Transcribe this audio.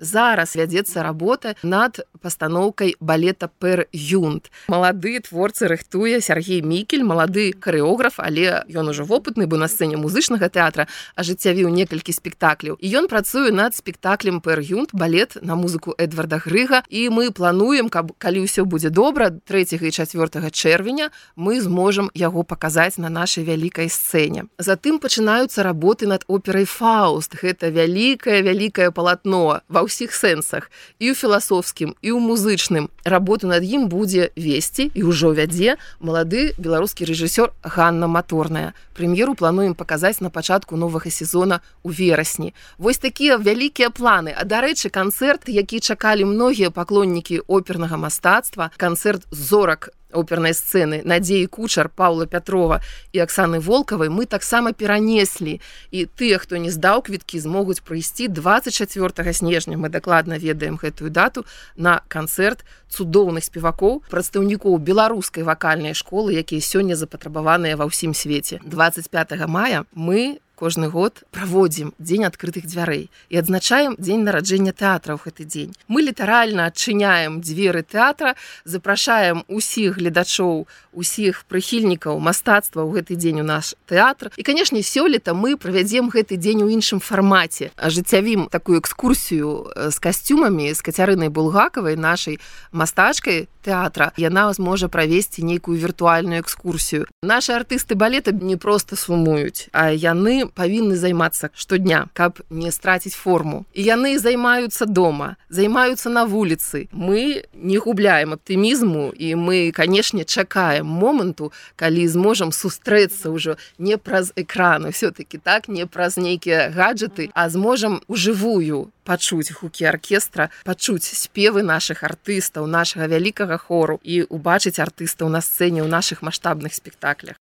Зараз вядзецца работа над пастаноўкай балета «Пер Юнт». Малады творцы рыхтуе Сергей Мікель, малады харэограф, але ён ужо вопытны, бо на сцэне музычнага тэатра ажыццявіў некалькі спектакляў. І ён працуе над спектаклем «Пер Юнт», балет на музыку Эдварда Грыга. І мы плануем, калі ўсё будзе добра, 3 і 4 чэрвеня мы зможам яго паказаць на нашай вялікай сцэне. Затым пачынаюцца работы над операй «Фауст». Гэта вялікае палатно ва ўсіх сэнсах, і ў філасофскім, і ў музычным. Работу над ім будзе весці і ўжо вядзе малады беларускі рэжысёр Ганна Маторная. Прэм'еру плануем паказаць на пачатку новага сезона ў верасні. Вось такія вялікія планы. А дарэчы, канцэрт, які чакалі многія паклоннікі опернага мастацтва, канцэрт зорак опернай сцэны Надзеі Кучар, Паўла Пятрова і Аксаны Волкавай мы таксама перанеслі. І тыя, хто не здаў квіткі, змогуць прыйсці 24 снежня, мы дакладна ведаем гэтую дату, на канцэрт цудоўных спевакоў, прадстаўнікоў беларускай вакальнай школы, якія сёння запатрабаваныя ва ўсім свеце. 25 мая мы кожны год праводзім дзень адкрытых дзвярэй і адзначаем дзень нараджэння тэатра ў гэты дзень. Мы літаральна адчыняем дзверы тэатра, запрашаем усіх гледачоў, усіх прыхільнікаў мастацтва ў гэты дзень у наш тэатр. І, канешне, сёлета мы правядзем гэты дзень у іншым фармаце. Ажыццявім такую экскурсію з касцюмамі з Кацярынай Булгакавай, нашай мастачкай тэатра. Яна зможа правесці нейкую віртуальную экскурсію. Нашы артысты балета не проста сумуюць, а яны павінны займацца штодня, каб не страціць форму. І яны займаюцца дома, займаюцца на вуліцы. Мы не губляем аптымізму, і мы, канешне, чакаем моманту, калі зможам сустрэцца ўжо не праз экран, усё-такі так, не праз нейкія гаджеты, а зможам ужывую пачуць гукі аркестра, пачуць спевы нашых артыстаў, нашага вялікага хору і убачыць артыстаў на сцэне ў нашых маштабных спектаклях.